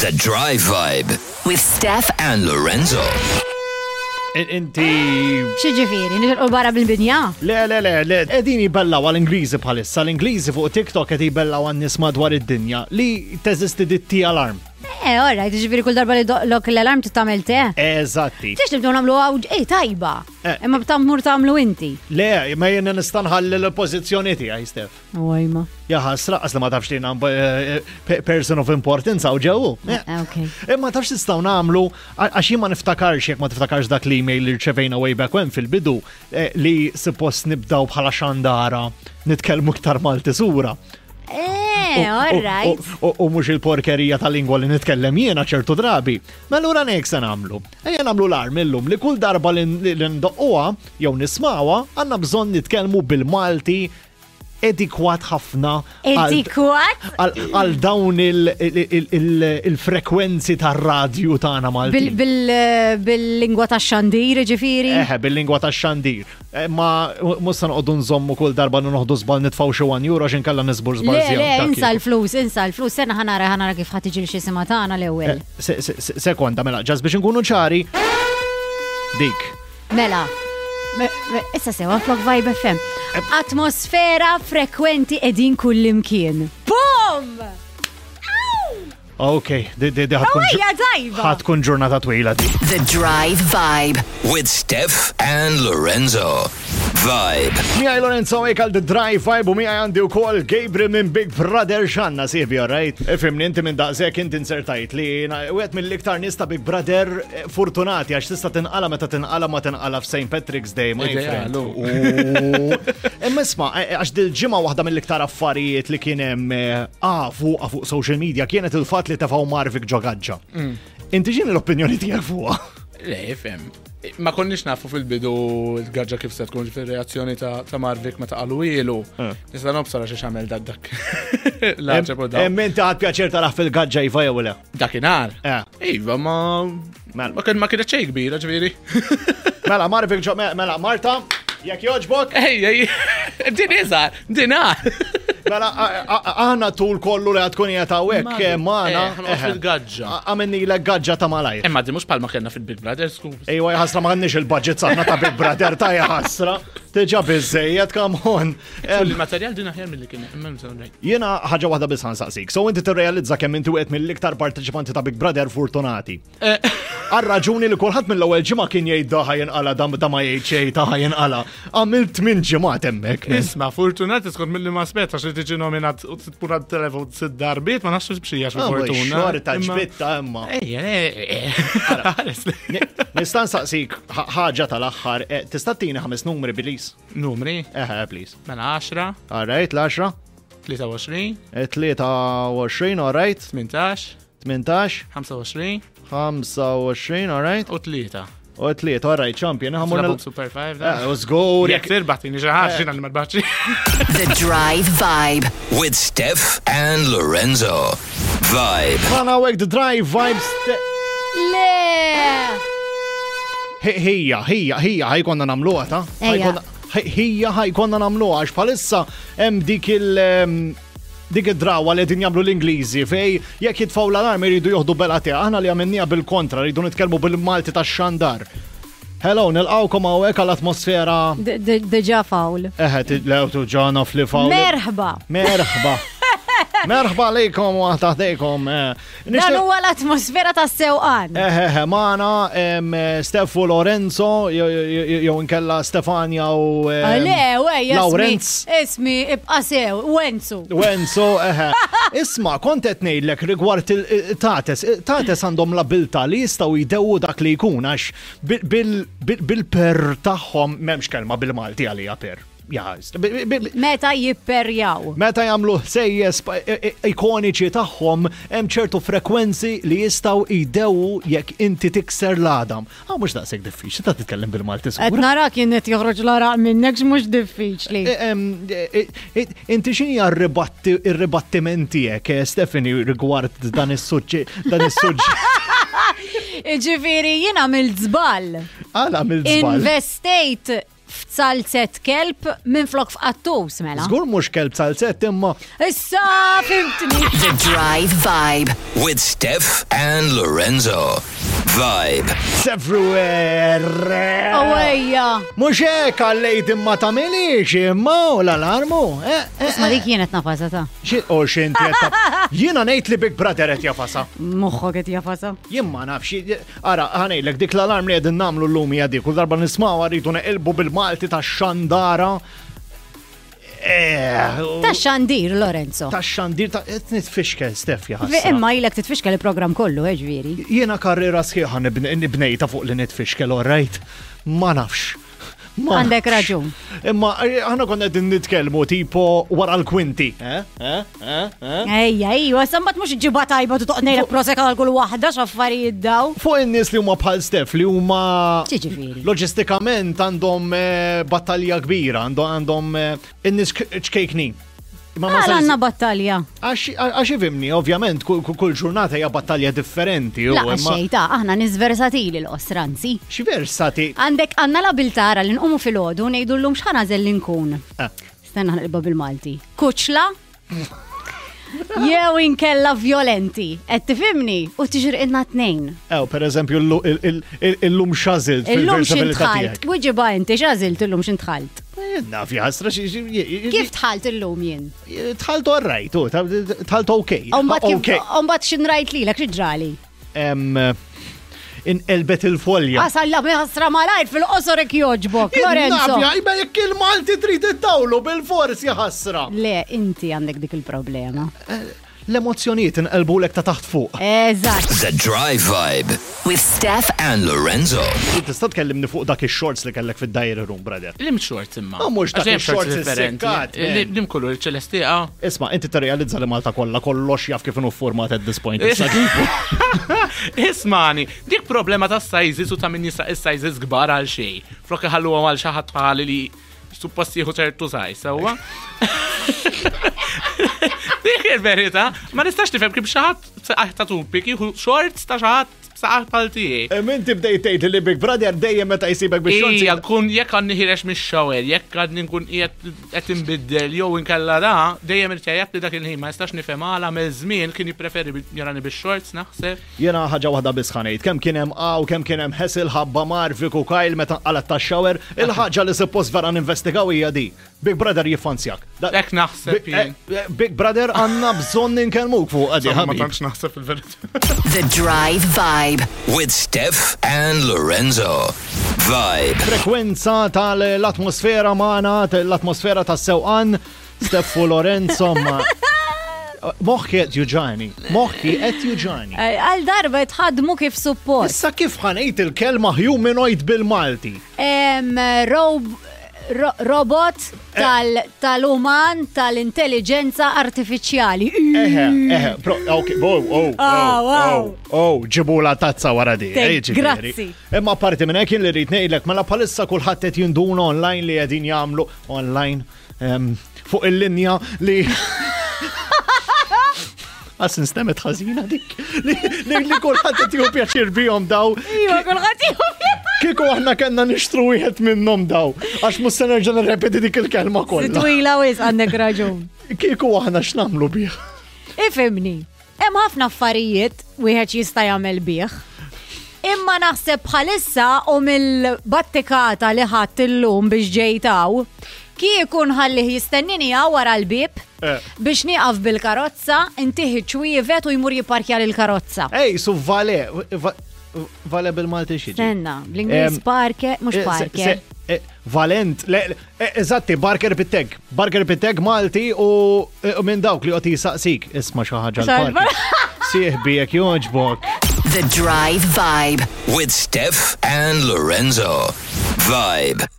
The Drive Vibe With Steph and Lorenzo. Inti. Xieġifiri, nixilqu barra bil-binja? Le, le, le, le, edin jibellaw għal-Ingliżi bħalissa, l-Ingliżi fuq TikTok qed jibellaw għan-nies madwar id-dinja li teżisti ditti alarm. Eh, all right, ġifiri kull darba li doqlok l-alarm titamel te. Eżatti. Tix nibdew nagħmlu għaw, ej, tajba. Eh. Imma b'tamur tagħmlu inti. Le, ma jiena nista' nħalli l-pożizzjoni tiegħi, Stef. Ojma. Ja ħasra, qas li ma tafx li jiena eh, eh, person of importance hawn ġew. Ok. Imma tafx nistgħu nagħmlu għax jien ma niftakarx jekk ma tiftakarx dak l-email li rċevejna way back when fil-bidu li suppost nibdaw bħala xandara nitkellmu iktar Malti sura. Eh, all right. U mhux il-porkerija tal-lingwa li nitkellem jiena ċertu drabi. Ma allura nek se nagħmlu. Ejja nagħmlu l-arm illum li kull darba li ndoqquha jew nismawha għandna bżonn nitkellmu bil-Malti edikwat ħafna Edikwat? għal dawn il-frekwenzi tar-radju tagħna Malti. Bil-lingwa tax-xandir, ġifieri? Eħe, bil-lingwa tax-xandir. Eh, ma mhux se noqogħdu nżommu kull darba noħdu żball nitfgħu xi 1 euro għax inkella nisbur żball. Le, le, insa l-flus, insa l-flus, sena ħanara ħanara kif ħa tiġi xi sima tagħna l-ewwel. Eh, Sekonda, mela, ġas biex nkunu ċari. Dik. Mela, issa sewa flok Vibe FM. Atmosfera frekwenti edin kullimkien. Bum! Ok, di di di ħatkun ħatkun ġurnata twila di. The Drive Vibe with Steph and Lorenzo. Vibe. Miħaj Lorenzo għek għal The Drive Vibe u miħaj għandi u kol Gabriel minn Big Brother xanna sibi, alright? Ifimni inti minn daqsek inti insertajt li u għet mill-iktar nies ta' Big Brother eh, fortunati għax tista' tinqala meta tinqala ma tinqala f'St. Patrick's Day, my friend. Imma isma' eh, eh, għax dil-ġimgħa waħda mill-iktar affarijiet li kien hemm ah, fuq fuq social media kienet il-fatt li tefgħu Marvik ġo gaġġa. Mm. Inti x'inhi l-opinjoni tiegħek fuqha? Le, fem. Ma konniex nafu fil-bidu l-gaġġa kif se tkun fil-reazzjoni ta' Marvik meta qalu ilu. Eh. Nista' nobsara xi xamel dak dak. Emmen ta' pjaċir taraħ fil-gaġġa iva jew le. Dakinhar. Eh. Iva ma mela. ma kien ma kienet xejn kbira ġifieri. Mela Marvik mela Marta, jekk jogħġbok. Ej, ej, din iżgħar, din Mela, aħna tul kollu li għatkun jgħat hawnhekk eh, magħna. Eh, eh, fil-gaġġa. Għamenni l gaġġa ta' malajr. Imma di mhux palma kellna fil-Big Brother, skuż. Ejwa jħasra ma għandniex il-budget saħna ta' Big Brother ta' jħasra. Tiġa biżejjed, come on. Il-materjal din aħjar mill-li kien. Jiena ħaġa waħda biss ħansaqsik. So inti tirrealizza kemm inti wieħed mill-iktar parteċipanti ta' Big Brother fortunati. Eh. Għal raġuni li kulħadd mill-ewwel ġimgħa kien jgħid daħa jinqala dam da ma jgħid xejn taħa jinqala. Għamilt minn ġimgħat hemmhekk. Isma' fortunati skont milli ma spetta xi tiġi nominat u tkun għad telefon sitt darbiet ma nafx b'xija xi ah, fortuna. Xorta ġbitta imma. Ejja, eh, Nista' nsaqsik ħaġa tal-aħħar, eh, tista' tini ħames numri bilis? Numri? Eħe, please. Mela 10. All right, l-10. 23. 23, all right. 18. 18. 25. 25, all right. U tlieta. U tlieta, all right, champion. Ħamur Super 5. Eh, u żgur. Jekk tirbaħ tini xi ħaġa xina li ma rbaħx. The Drive Vibe with Steph and Lorenzo. Vibe. Għana għek The Drive Vibes. Le! Hija, hija, hija, ħajkonna namluha ta' Hija ħajkonna namluha għax bħalissa hemm dik il- Dik id-drawa li qegħdin jagħmlu l-Ingliżi fej jekk jitfgħu l-alarm iridu joħdu bela te. Aħna li għamilniha bil-kontra, rridu nitkellmu bil-Malti tax-xandar. Hello, nilqawkom hawnhekk għall-atmosfera. Diġà fawl. Eħe, lew tuġa naf li fawl. Merħba. Merħba. Merħba lejkom u taħdejkom. Eh. Dan huwa l-atmosfera tas-sewqan. Eħeħe, magħna Steffu Lorenzo, jew inkella Stefania u. Ah, le, wej, Lawrenz. Ismi, ibqa' sew, Wenzu. Wenzu, eħe. Isma, kont qed ngħidlek rigward il-tates. Tates għandhom l-abilità li jistgħu jdewwu dak li jkun għax bil-per tagħhom m'hemmx kelma bil-Malti għalija per. Meta jipperjaw. Meta jagħmlu ħsejjes ikoniċi tagħhom hemm ċertu frekwenzi li jistgħu jdewu jekk inti tikser l-għadam. Ah mhux daqshekk diffiċli ta' titkellem bil-Malti Qed nara kien qed joħroġ l-araq minnek mhux diffiċli. Inti x'inhi r-ribattiment tiegħek, eh, Stephanie, rigward dan is-suġġett dan is-suġġett? Ġifieri jien għamilt żball. Għal għamilt żball. Investejt F'zalzett kelb minflok f'qattus mela. Żgur mhux kelb zalzett imma. Issa fimtni. The Drive Vibe. With Steph and Lorenzo. Vibe. It's everywhere. Awejja. Mhux hekk għallejt imma tagħmilix imma u l-alarmu. Eh, eh, Isma' dik kienet nafasa ta' Xi u x'inti qed ta' Jiena ngħid li Big Brother qed jafasa. Moħħok qed jafasa. Jien ma nafx, ara, ħa ngħidlek dik l-alarm li qegħdin nagħmlu llum hija dik, kull darba nismgħuha rridu neqilbu bil-Malti tax-xandara. Eh, Ta' xandir, Lorenzo. Ta' xandir ta' qed nitfixkel Stef jaħasra. Imma ilek titfixkel il-programm kollu, eh, ġifieri. Jiena karriera sħiħa nibnejta fuq li nitfixkel, all right? Ma nafx. Għandek raġun. Imma eh, aħna konna qegħdin nitkellmu tipo wara l-kwinti. Eh? Eh? Eh? Ejja, ejja, sambat mhux ġiba tajba tu toqnejlek prosek għal kull waħda x'affarijiet daw. Fuq in-nies li huma bħal Stef li huma Ġifieri. Loġistikament għandhom battalja kbira, għandhom in-nies ċkejknin. Ma ma għandna battalja. Għax ifimni, ovvjament, kull ġurnata hija battalja differenti. La, xejn ta' aħna nies versatili l-qosra, anzi. Xi versati? Għandek għandna l-abiltà ara li nqumu filgħodu ngħidu llum x'ħa nagħżel li nkun. Ah. Stenna ħanqilba bil-Malti. Kuċla? Jew inkella violenti. Qed tifhimni? U tiġri tnejn. Ew, per eżempju, illum x'għażilt Illum x'intħalt. Wiġiba inti x'għażilt illum x'intħalt. Naf jħasra xi. Kif tħalt illum jien? Tħalt orrajt, tħalt ok. Umbat x'inrajt lilek xi ġrali? Inqelbet il-folja. Għasalla ħasra malajr fil-qosor ek joġbok, Lorenzo. Naf, jgħajba jekk il-Malti trid ittawlu bil-fors jaħasra. Le, inti għandek dik il-problema. L-emozzjonijiet inqelbulek ta' taħt fuq. Eżatt. The Drive Vibe With Steph and Lorenzo. Tista' tkellimni fuq dak ix-shorts li kellek fid-diary room, brother. Lim shorts imma. Ma mhux dak Għax hemm ix-shorts differenti. issikkat, man. Lim kulur il-ċelestiqa. Isma' inti tirrealizza li Malta kollha kollox jaf kif inhu format at this point. Issa kif? Ismani, dik problema ta' sizes u ta' min jisraq is-sizes kbar għal xejn. Flok iħalluhom għal xi ħadd bħali li suppost jieħu ċertu size, sewwa? Dik il-verità, ma nistax nifhem kif xi ħadd saqajh ta' tupik jieħu shorts ta' xi ħadd saqajh bħal tiegħi. Inti bdejt tgħid li Big Brother dejjem meta jsibek biex shorts. Ija, kun jekk għadni ħirex mix-shower, jekk għadni nkun qiegħed qed inbiddel jew inkella da, dejjem irtejjeb li dak il-ħin ma nistax nifhem għala mill-żmien kien jippreferi jarani bix-shorts naħseb. Jiena ħaġa waħda biss ħa ngħid, kemm kien hemm għaw, kemm kien hemm ħesil ħabba Marvik u Kyle meta nqalgħet tax-shower, il-ħaġa li suppost vera ninvestigaw hija di. Big Brother jiffanzjak. Hekk naħseb jien. Big Brother għandna bżonn inkellmuk fuq għadi Ma ħabib. tantx naħseb il-verità. The Drive Vibe. With Steph and Lorenzo. Vibe. Frekwenza tal-atmosfera magħna, l-atmosfera tas-sewqan, Steph u Lorenzo ma. Moħħi qed juġani, moħħi qed juġani. Għal darba tħadmu kif suppost. Issa kif ħanejt il-kelma humanoid bil-Malti? Robot tal-uman tal-intelligenza artifiċjali. Eħe, eħe, pro, ok, oh, oh, Ah, oh, wow. oh, oh, ġibula tazza wara di. Thank- eh, ġifieri. grazzi. Imma parti minn hekk jien li rrid ngħidlek, mela bħalissa kulħadd qed jinduna online li qegħdin jagħmlu online fuq il-linja li Għas nstemet ħażina dik li kulħadd qed jieħu pjaċir bihom daw. Iva, kulħadd jieħu Kieku aħna kellna nixtru wieħed minnhom daw, għax mhux se nerġa' nirrepeti dik il-kelma kollha. Twila wis għandek raġun. Kieku aħna x'nagħmlu bih? Ifhimni, hemm ħafna affarijiet wieħed jista' jagħmel bih. Imma naħseb bħalissa u mill-battikata li ħadd illum biex ġejtaw, kieku nħallih jistennini hawn wara l-bieb biex nieqaf bil-karozza, intiħi ċwievet u jmur jipparkja lill-karozza. Ej, su vale, vale bil-Malti xi. Stenna, bl-Ingliż parke, mhux parke. Valent, le, eżatti, Barker Pitteg. Barker Pitteg Malti u minn dawk li qed jisaqsik. Isma' xi ħaġa l-parker. Sieħbi jekk jogħġbok. The Drive Vibe. With Steph and Lorenzo. Vibe.